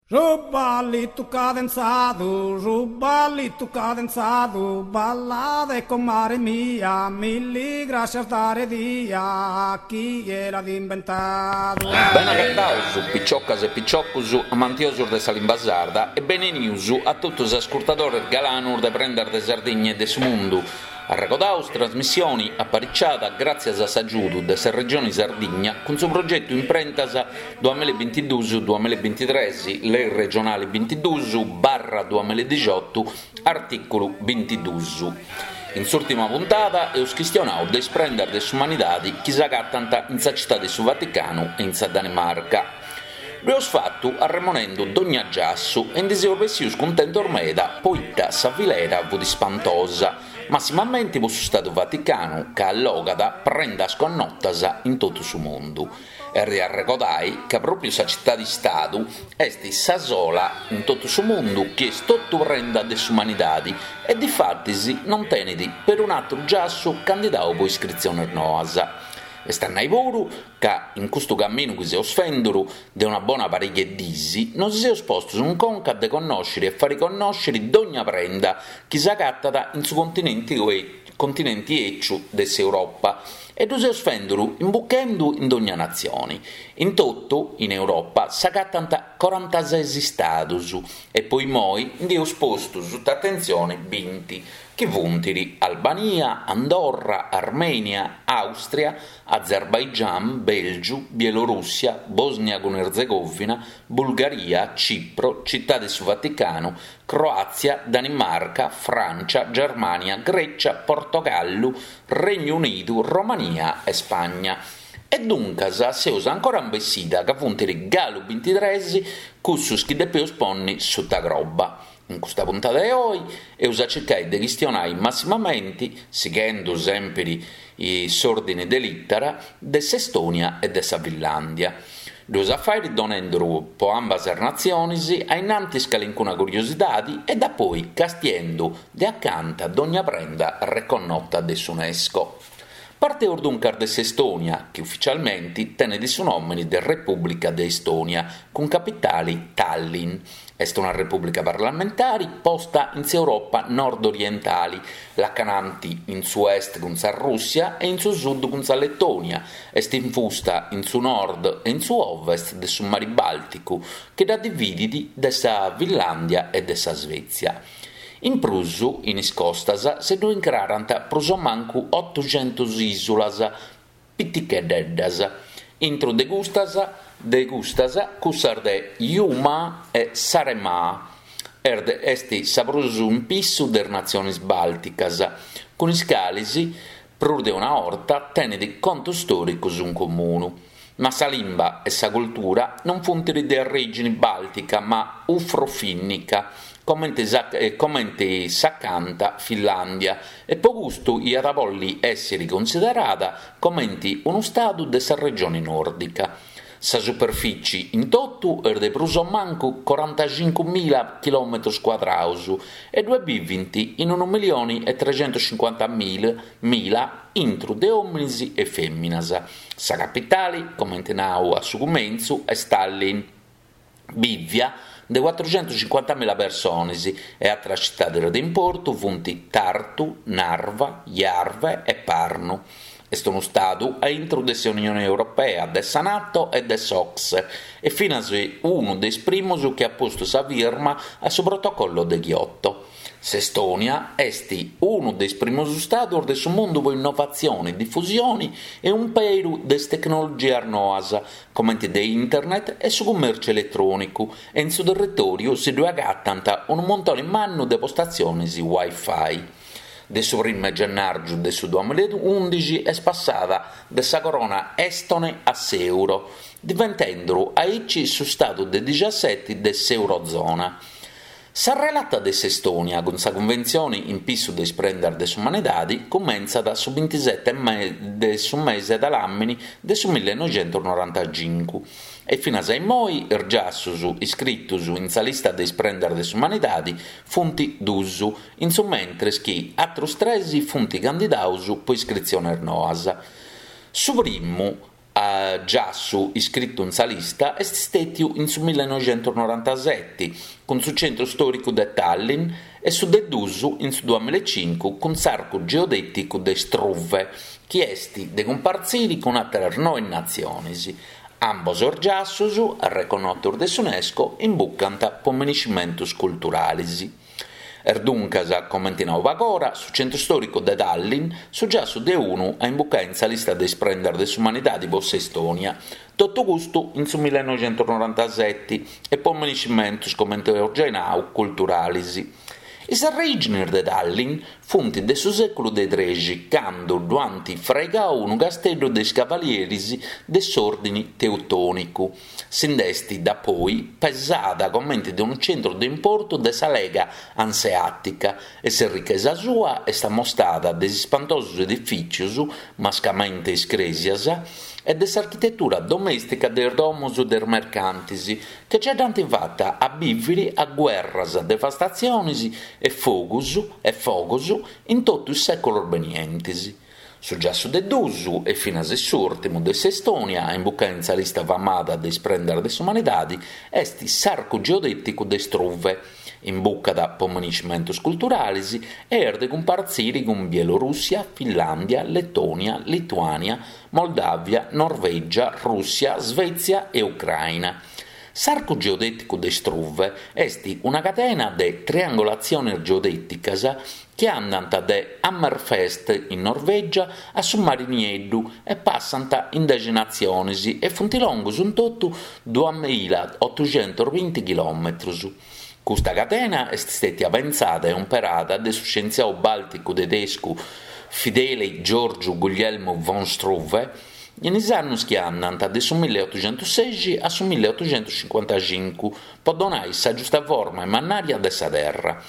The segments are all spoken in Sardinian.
Su ballitu cadenzadu, su ballitu cadenzadu, ballade comare mia, milli grascias dare dia, chie l'at imbentadu. Bene agataus, piciocas e piciocus amantiosus de sa limba sarda e benenius a totu is ascurtadores galanus de Prendas de Sardigna e de su Mundu. Arregodaus trasmissioni apariciada gràtzias a s'agiudu de sa Regioni Sardigna cun su progetu Imprentas duamillabintiduus duamillabintitres, Lei regionali bintiduus barra duamilladixotu, artìculu bintiduus. In s'ùrtima puntada eus chistionau de is prendas de s'umanidadi chi s'agatant in sa Citadi de su Vaticanu e in sa Danimarca. Ddu eus fatu arremonendu dogna giassu e ndi seus bessius cuntentos meda poita sa filera fut ispantosa, massimamenti po su Stadu Vaticanu ca allogat prendas connotas in totu su mundu. Est de arregodai ca pròpiu sa citadi-stadu est sa sola in totu su mundu chi est totu prenda de s'umanidadi e difatis non tenit perun'atru giassu candidau po iscritziones noas. Est a nai puru ca in custu caminu chi seus fenduru de una bona pariga 'e dis nosi seus postus in conca de connòsciri e fari connòsciri dogna prenda chi s'agatat in su continenti continenti 'eciu de s'Europa e ddu seus fenduru imbuchendu in dogna natzioni. In totu in Europa s'agatant corantases istadus e po immoi ndi eus postu suta atentzioni binti, chi funt Albania, Andorra, Armenia, Austria, Azerbaigian, Belgiu, Bielorussia, Bosnia cun Erzegovina, Bulgaria, Cipro, Citadi 'e su Vaticanu, Croàtzia, Danimarca, Frància, Germània, Grècia, Portogallu, Regnu Unidu, Romania e Spagna. E duncas seus ancora in bessida ca funt galu bintitres cussus chi depeus ponni suta croba. In custa puntada 'e oi eus a circai de chistionai massimamenti, sighendu sèmpiri s'òrdini de lìtara, de s'Estònia e de sa Finlàndia. Ddu eus a fàiri donenduru po ambas is natzionis a innantis calincuna curiosidadi e dapoi castiendu de acanta dogna prenda reconnota de s'Unesco. Parteus duncas de s'Estònia, chi uficialmenti tenet su nòmini de Repùblica de Estònia, cun capitali Tallinn. Est una repùblica parlamentari posta in s'Europa nord-orientali, lacananti in su est cun sa Rùssia e in su sud cun sa Letònia, est infusta in su nord e in su ovest de su Mari Bàlticu, chi dda dividit de sa Finlàndia e de sa Svètzia. In prus, in is costas si ddu incrarant prus o mancu otuxentus ìsulas piticheddeddas, intru de custas de custas cussas de Hiiumaa e Saaremaa, est sa prus in pissu de is natziones bàlticas, cun is cales prus de una 'orta tenet contos stòricos in comunu. Ma sa limba e sa cultura non funt de orìgine bàltica ma ufrofinnica, comente comente s'acanta Finlàndia, e po custu iat a bolli èssiri cunsiderada comente unu stadu de sa regioni nòrdica. Sa superfici in totu est de prus o mancu corantaxincumila chilòmetrus cuadraus e ddue bivint in unu milioni e trexentuscincuantamila intru de òminis e fèminas. Sa capitali, comente nau a su cumentzu, est Tallinn. Bìvia de cuatruxentuscincuantamila persones e àteras citades de importu funt Tartu, Narva, Järva e Pärnu. Est unu stadu a intru de s'Unione Europea, de sa Nato e de s'OCSE e finas unu de is primos chi at postu sa firma a su Protocollo de Kyoto. S'Estònia est unu de is primos istados de su mundu po innovatzione, difusione e umperu de is tecnologias noas, comente de internet e su cummèrciu eletrònicu, e in su territòriu si ddue agatant unu muntone mannu de postatziones Wi-Fi. De su primu 'e gennàrgiu de su duamilla e undixi est passada de sa corona èstone a s'èuro, diventenduru aici su stadu de dixaseti de s'eurozona. Sa relata de s'Estònia cun sa Cunventzioni in pissu de is prendas de s'umanidadi cumentzat su bintisete de su mese de làmini de su millenoixentusnorantacincu e finas a immoi is giassus iscritus in sa lista de is prendas de s'umanidadi funt dus, in su mentres chi atrus tres funt candidaus po iscritziones noas. Su primu. giassu iscritu in sa lista est stètiu in su millenoixentusnorantaseti cun su centru stòricu de Tallinn e su de dus in su duamillaecincu cun s'arcu geodèticu de Struve chi est de cumpartziri cun àteras noe natzionis. Ambos is giassus, arreconnotus de s'Unesco, imbucant po miniscimentus culturalis. Est duncas, comenti nau pagora, su centru stòricu de Tallinn su giassu de unu a imbucai in sa lista de is prendas de s'umanidadi po s'Estònia. Totu custu in su millenoixentusnorantaseti e po miniscimentus, comenti eus giai nau, culturalis. Is arreìginis de Tallinn funt de su sèculu de trexi, candu ddu ant fraigau unu casteddu de is cavalieris de s'Òrdini Teutònicu. Si nd'est dapoi pesada comenti de unu centru de importu de sa Lega Anseàtica e s'errichesa sua est amostada de is ispantosus edifìtzius, mascamente is crèsias, e de s'architetura domèstica de is domos de is mercantis, chi ce dd'ant fata a bìviri a guerras, devastatzionis e fogus e fogos in totu is sèculos benientes. Su giassu de dus, e finas s'ùrtimu de s'Estònia a imbucai in sa lista famada de is prendas de s'umanidadi, est s'arcu geodèticu de Struve. Imbucat po miniscimentus culturalis e est de cumpartziri cun Bielorùssia, Finlàndia, Letònia, Lituània, Moldàvia, Norvègia, Rùssia, Svètzia e Ucraina. S'arcu geodèticu de Struve est una cadena de triangolatziones geodèticas chi andant de Hammerfest in Norvègia a su Mari Nieddu e passant in dexi natziones e funt longus in totu duamilaotuxentusbinti chilòmetrus. Custa cadena est stètia pentzada e umperada de su scientziau bàlticu tedescu Fideli Giorgiu Guglielmu von Struve in is annus chi andant de su milliotuxentussexi a su milliotuxentuscincuantacincu po donai sa giusta forma e mannària de sa Terra.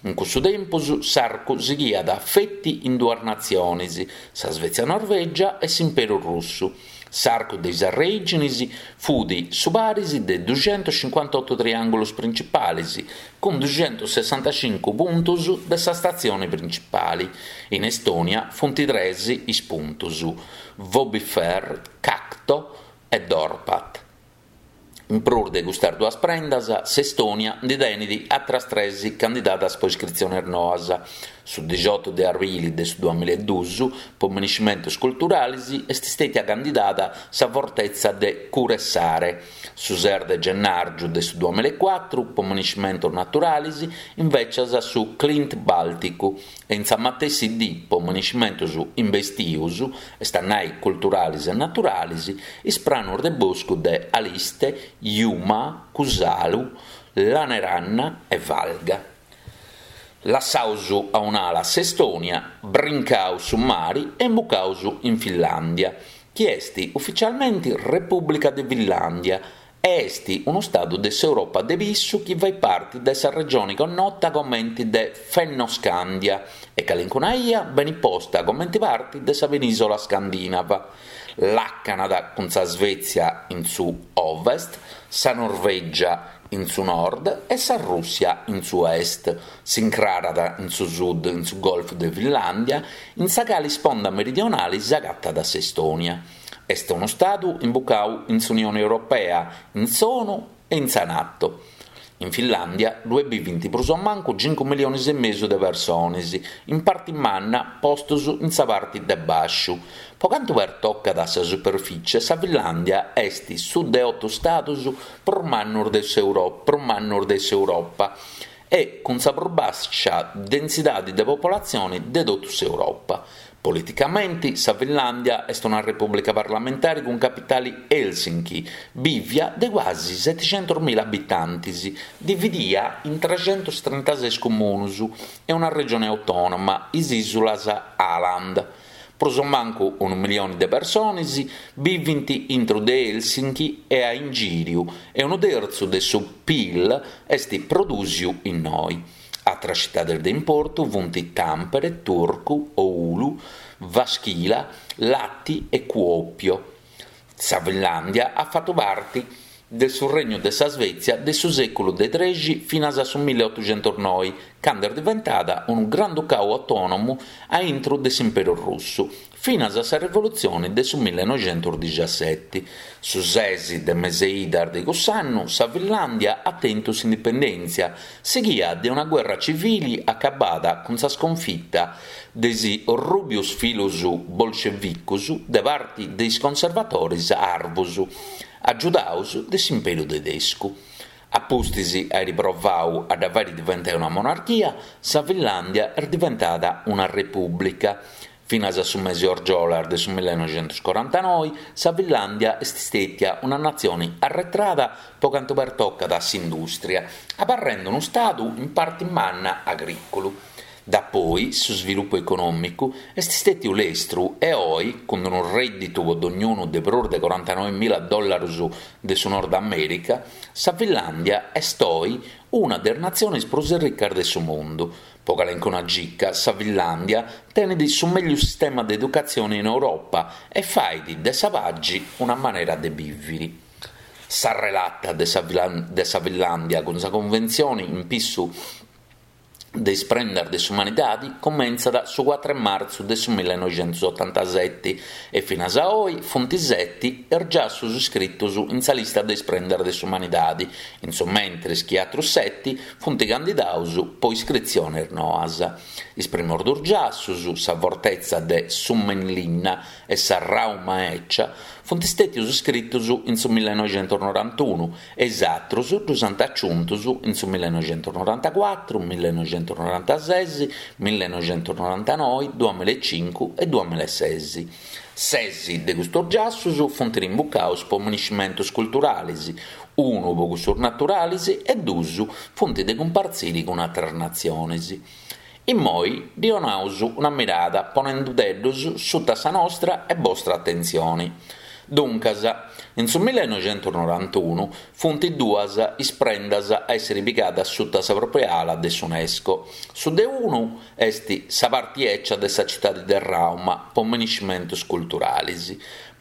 In cussu tempus s'arcu sighiat feti in duas natziones, sa Svezia-Norvègia e s'Imperu Russu. S'arcu de is arreìginis fut su paris de duxentuscincuantotu triàngulus principalis, cun duxentussessantacincu puntus de sa statzioni principali. In Estònia funt tres is puntus, Võõbifähr, Kakto e Dorpat. In prus de custas duas prendas, s'Estònia ndi tenit atras tres candidadas po iscritziones noas. Su dixiotu de arbili de su duamillaeduus, po miniscimentus culturalis, est stètia candidada sa fortetza de Kuressaare. Su ses de gennàrgiu de su duamillaecuatru, po miniscimentus naturalis, invècias su Klint Bàlticu. E in sa matessi dì po miniscimentus imbestius, est a nai culturalis e naturalis, is pranus de boscu de Aliste, Hiiumaa, Kuusalu, Lääneranna e Valga. Lassaus a un'ala s'Estònia, brincaus su mari e imbucaus in Finlàndia, chi est uficialmenti Repùblica de Finlàndia e est unu stadu de s'Europa de pissu chi fait parti de sa regioni connota comenti de Fennoscandia e calincuna 'ia benit posta comenti parti de sa penìsola scandinava. Làcanat cun sa Svezia in su ovest, sa Norvègia in su nord e sa Rùssia in su est. S'incrarat in su sud in su Golfu de Finlàndia, in sa cali sponda meridionali s'agatat s'Estònia. Est unu stadu imbucau in s'Unioni Europea, in s'ONU e in sa Nato. In Finlàndia ddue bivint prus o mancu cincu millionis e mesu de persones, in parti manna postus in sa parti de bàsciu. Po cantu pertocat sa superficie, sa Finlàndia est su de otu stadus prus mannus de prus mannus de s'Europa e cun sa prus bàscia densidadi de popolatzioni de totu s'Europa. Politicamenti, sa Finlàndia est una repùblica parlamentari cun capitali Helsinki, bìvia de cuasi seticentusmila abitantis, dividia in trexentustrintases comunus e una regioni autònoma, is ìsulas Aland. Prus o mancu unu milioni de persones bivint intro de Helsinki e a ingìriu e unu tertzu de su PIL est prodùsiu innoi. Atras citades de importu funt Tampere, Turku, Oulu, Jyväskylä, Lahti e Kuopio. Sa Finlàndia at fatu parti. de su Regnu de sa Svezia de su sèculu de trexi finas a su milleotuxentusnoi, candu est diventada unu Granducau autònomu a intru de s'Imperu Russu, finas a sa rivolutzioni de su millenoixentusdixaseti. Su ses de mes'e idas de cuss'annu sa Finlàndia at tentu s'indipendèntzia, sighia de una guerra civili acabada cun sa sconfita de is orrùbius filus bolscevicus de parti de is conservatoris arvus, agiudaus de s'Imperu tedescu. A pustis airi provau a dda fairi diventai una monarchia, sa Finlàndia est diventada una repùblica. Finas a su mesi orgiolas de su millenoixentuscorantanoi, sa Finlàndia est stètia una natzioni arretrada po cantu pertocat a s'indùstria, abarrendi unu stadu in parti manna agrìculu. Dapoi su svilupu econòmicu est stètiu lestru e oi, cun unu rèdditu po dognunu de prus de corantanoimila dòllarus de su Nord Amèrica, sa Finlàndia est oi una de is natzionis prus ricas de su mundu. Po calencuna gica, sa Finlàndia tenit su mellus sistema de educatzioni in Europa e fait de sa pagi una manera de bìviri. Sa relata de sa de sa Finlàndia cun sa Conventzioni in pissu de is prendas de s'umanidadi cumentzat su cuatru 'e martzu de su millenoixentusotantaseti e finas a oi funt seti is giassus iscritus in sa lista de is prendas de s'umanidadi, in su mentris chi atrus seti funt candidaus po iscritzionis noas. Is primos dus giassus, sa fortetza de Suomenlinna e sa Rauma 'Ecia, funt stètius iscritus in su millenoixentusnorantunu e is atrus ddus ant aciuntus in su millenoixentusnorantacuatru, millenoixentusnorantases, millenoixentusnorantanoi, duamilaecincu e duamilaeses. Ses de custus giassus funt rimbucaus po miniscimentus culturalis, unu po cussus naturalis e dus funt de cumpartziri cun atras natzionis. Immoi ddi 'onaus una mirada ponendudeddus suta sa nostra e bostra atentzioni. Duncas, in su millenoixentusnorantunu funt duas is prendas a essiri pigadas suta sa propria ala de s'Unesco. Su de unu est sa parti 'ecia de sa citadi de Rauma po miniscimentus culturalis.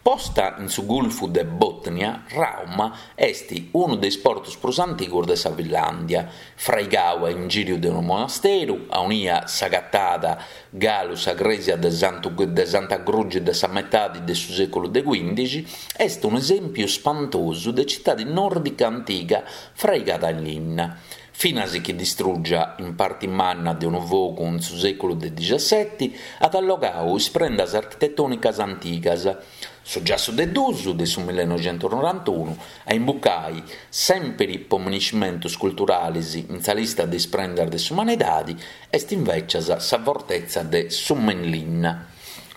Posta in su Gulfu de Botnia, Rauma est unu de is portus prus antigus de sa Finlàndia, fraigau a ingìriu de unu monasteru, aunia s'agatat galu sa crèsia de Santu de Santa Grugi de sa metadi de su sèculu de cuìndixi, est unu esèmpiu spantosu de citadi nòrdica antiga fraigada in linna. Finas chi distrùgia in parti manna de unu fogu in su sèculu de dixaseti, at allogau is prendas architetònicas antigas. Su giassu de dus de su millenoixentusnorantunu a imbucai, sèmpiri po miniscimentus culturalis in sa lista de is prendas de s'umanidadi, est invècias sa fortetza de Suomenlinna.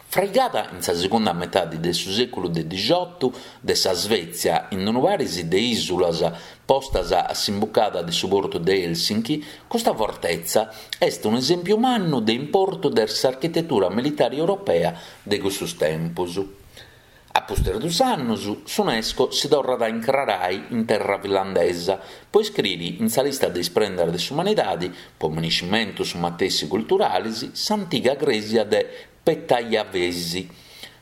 Fraigada in sa segunda metadi de su sèculu de dixiotu de sa Svezia in unu paris de ìsulas postas a s'imbucada de su portu de Helsinki, custa fortetza est unu esèmpiu mannu de importu de s'architetura militari europea de cussus tempus. A pustis dus annus, s'Unesco si torrat a incrarai in terra finlandesa po iscriri in sa lista de is prendas de s'umanidadi, po miniscimentus su matessi culturalis, s'antiga crèsia de Petäjävesi.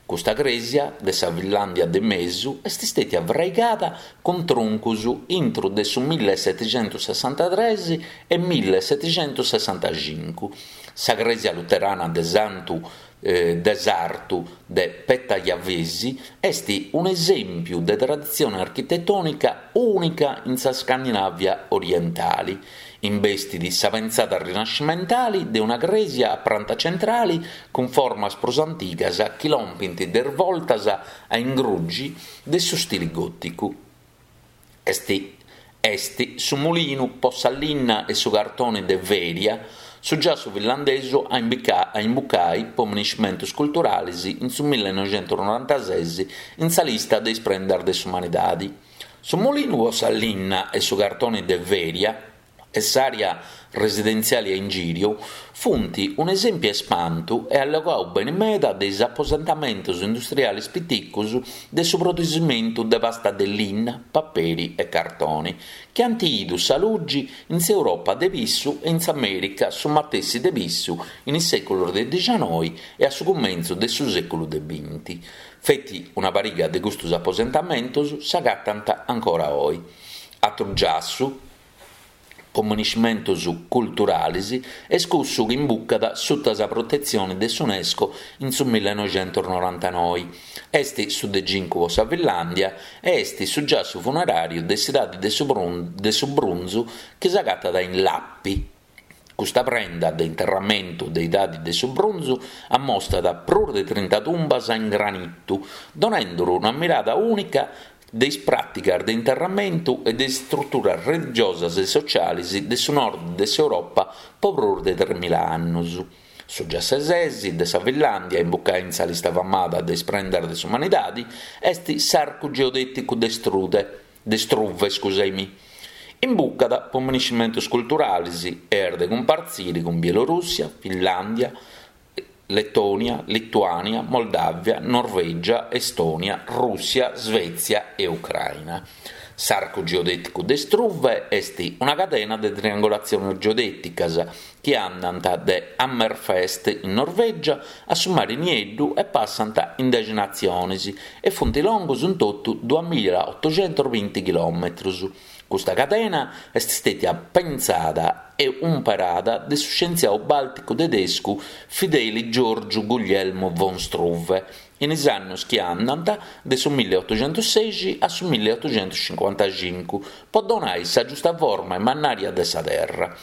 Custa crèsia de sa Finlàndia de mesu est stètia fraigada cun truncus intru de su millesetixentussessantatres e millesetixentussessantacincu. Sa crèsia luterana de Santu de sartu de Petäjävesi est un'esèmpiu de traditzione architetònica ùnica in sa Scandinàvia orientali. Imbestit sa pentzada rinascimentali de una crèsia a pranta centrali cun formas prus antigas chi lompint de is voltas a ingrugi de su stili gòticu. Est est su mulinu po sa linna e su cartoni de Veria, su giassu finlandesu a a imbucai po miniscimentus culturalis in su millenoixentusnorantases in sa lista de is prendas de s'umanidadi. Su mulinu po sa linna e su cartoni de Veria. E s'àrea residentziali a ingìriu funt un'esèmpiu 'e spantu e allogau beni meda de is aposentamentus industrialis piticus de su produsimentu de pasta de linna, paperi e cartoni, chi ant idu sa lugi in s'Europa de pissu e in s'Amèrica su matessi de pissu in is sèculos de dixianoi e a su cumentzu de su sèculu de binti. Feti una pariga de custus aposentamentus s'agatant ancora oi. Atru giassu po miniscimentus culturalis est cussu chi imbucat suta sa protetzioni de s'Unesco in su millenoixentusnorantanoi. Est su de cincu po sa Finlàndia e est su giassu funeràriu de s'idadi de su brunzu chi s'agatat in Lappi. Custa prenda de interramentu de idadi de su brunzu ammostat prus de trinta tumbas in granitu, donenduru una mirada ùnica de is pràticas de interramentu e de is struturas religiosas e socialis de su nord de s'Europa po prus de tremila annus. Su de ses de sa Finlàndia, imbucai in sa lista famada de is prendas de s'umanidadi, est s'arcu geodèticu de Strude, de Struve, scusaimì. Imbucat po miniscimentus culturalis e est de cumpartziri cun Bielorùssia, Finlàndia, Letònia, Lituània, Moldàvia, Norvègia, Estònia, Rùssia, Svètzia e Ucraina. S'arcu geodèticu de Struve est una cadena de triangolatziones geodèticas chi andant de Hammerfest in Norvègia a su Mari Nieddu e passant in dexi natziones e funt longus in totu duamilaotoxentosbinti chilòmetrus. Custa cadena est stètia pentzada e umperada de su scientziau bàlticu tedescu Fideli Giorgiu Guglielmo von Struve in is annus chi andant de su milliotoxentussexi a su milliotoxentuscincuantacincu po donai sa giusta forma e mannària de sa Terra.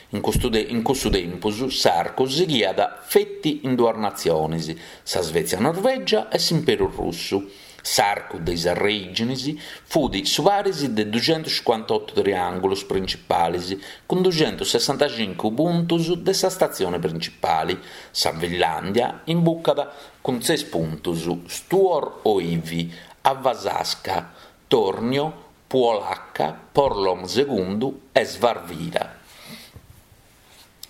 In custu in cussu tempus s'arcu sighiat feti in duas natziones, sa Svezia-Norvègia e s'Imperu Russu. S'arcu de is arrèiginis fut su paris de duxentuscincuantotu triàngulus principalis cun duxentussessantacincu puntus de sa statzioni principali. Sa Finlàndia imbucat cun ses puntus, Stuor Oivi, Aavasaksa, Tornio, Puolakka, Porlom Segundu e Svarvira.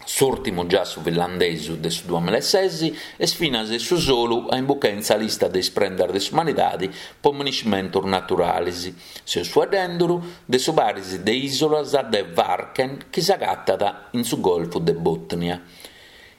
S'ùrtimu giassu finlandesu de su duamilaeses est finas su solu a imbucai in sa lista de is prendas de s'umanidadi po miniscimentus naturalis. Seus fueddenduru de su paris de ìsolas de Varken chi s'agatat in su Golfu de Botnia.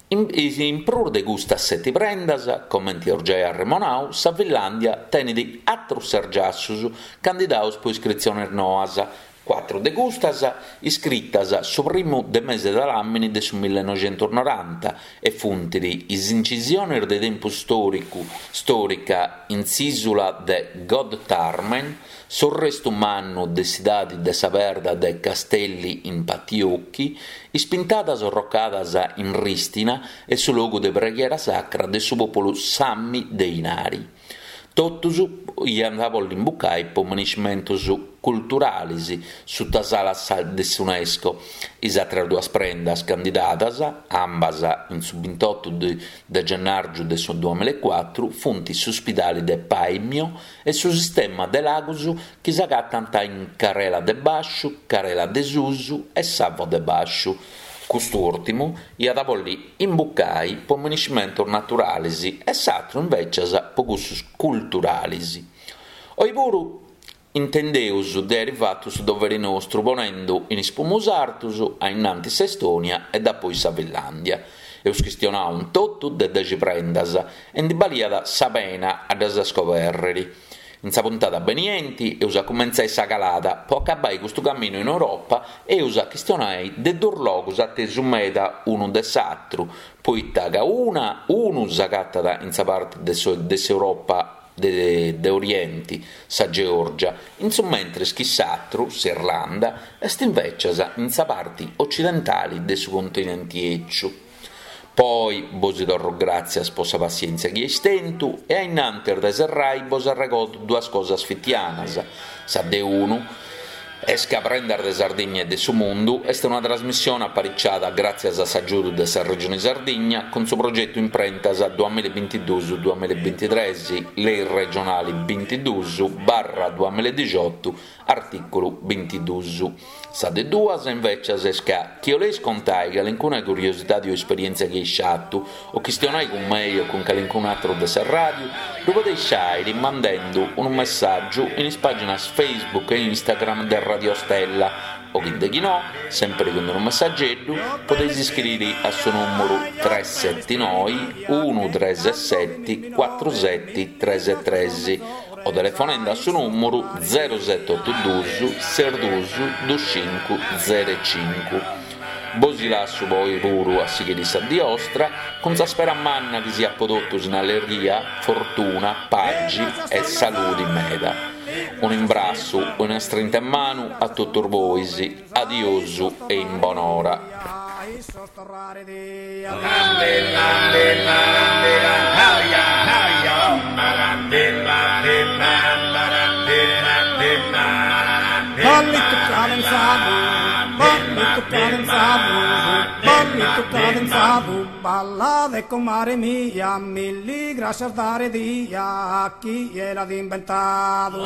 In prus de custas seti prendas, comenti eus giai arremonau, sa Finlàndia tenit atrus ses giassus candidaus po iscritziones noas, Cuatru de custas, iscritas su primu de mese de làmini de su millenoixentusnoranta e funt is incisiones de tempus stòricu stòrica in s'ìsula de Godtharmen, s'orrestu mannu de s'idadi de sa perda de Kastelli in Pattijoki, is pintadas orrocadas in Ristina e su logu de preghiera sacra de su pòpulu Sami de Inari. Totus iant a bolli imbucai po miniscimentus culturalis suta s'ala de s'Unesco. Is àteras duas prendas candidadas, ambas in su bintotu de gennàrgiu de su duamilaecuatru, funt su spidali de Paimio e su sistema de lagus chi s'agatant in Carela de Bàsciu, Carela de Susu e Savo de Bàsciu. Custu ùrtimu iat a bolli imbucai po miniscimentus naturalis e s'atru invècias po cussus culturalis. Oi puru intendeus de airi fatu su doveri nostru ponendu in is pumus artus a innantis s'Estònia e dapoi sa Finlàndia. Eus chistionau in totu de dexi prendas e ndi baliat sa pena a ddas scobèrriri. In sa puntada benienti eus a cumentzai sa calada po acabai custu caminu in Europa e eus a chistionai de duus logus atesu meda unu de s'atru, poita ca una unu s'agatat in sa parti de de s'Europa de de Orienti, sa Georgia, in su mentris chi s'atru, s'Irlanda, est invecias in sa parti ocidentali de su continenti 'eciu. Po oi bosi torru gràtzias po sa passièntzia chi eis tentu e a innantis de serrai bos arregodu duas cosas fitianas, sa de unu. Est ca Prendas de Sardigna e de su Mundu est una trasmissione apariciada gràtzias a s'agiudu de sa Regione Sardigna cun su progetu Imprentas duamilla e bintiduus duamilla e bintitres, Lei regionali bintiduus barra duamilla e dixiotu, artìculu bintiduus. Sa de duas, invècias, est ca chi 'oleis contai calincuna curiosidadi o esperièntzia chi eis fatu, o chistionai cun mei o cun calincun'atru de sa ràdiu, ddu podeis fàiri mandendu unu messàgiu in is pàginas Facebook e Instagram de Radio Stella o chi de chi no, sèmpiri cun unu messageddu, podeis iscriri a su nùmuru tres seti noi unu tres seti cuatru seti tres tres o telefonende a su nùmuru zero seti otu dus ses dus dus cincu zero cincu. Bosi lassu po oi puru a sighiri sa dì 'ostra, cun sa spera manna chi siat po totus in allerghia, fortuna, pagi e saludi meda. Un'imbrassu, una strinta 'e manu a totus bois, adiosu e in bonora. Ballitu cadenzadu, ballitu cadenzadu, ballitu cadenzadu, ballade comare mia, milli grascias dare dia, chie l'at imbentadu.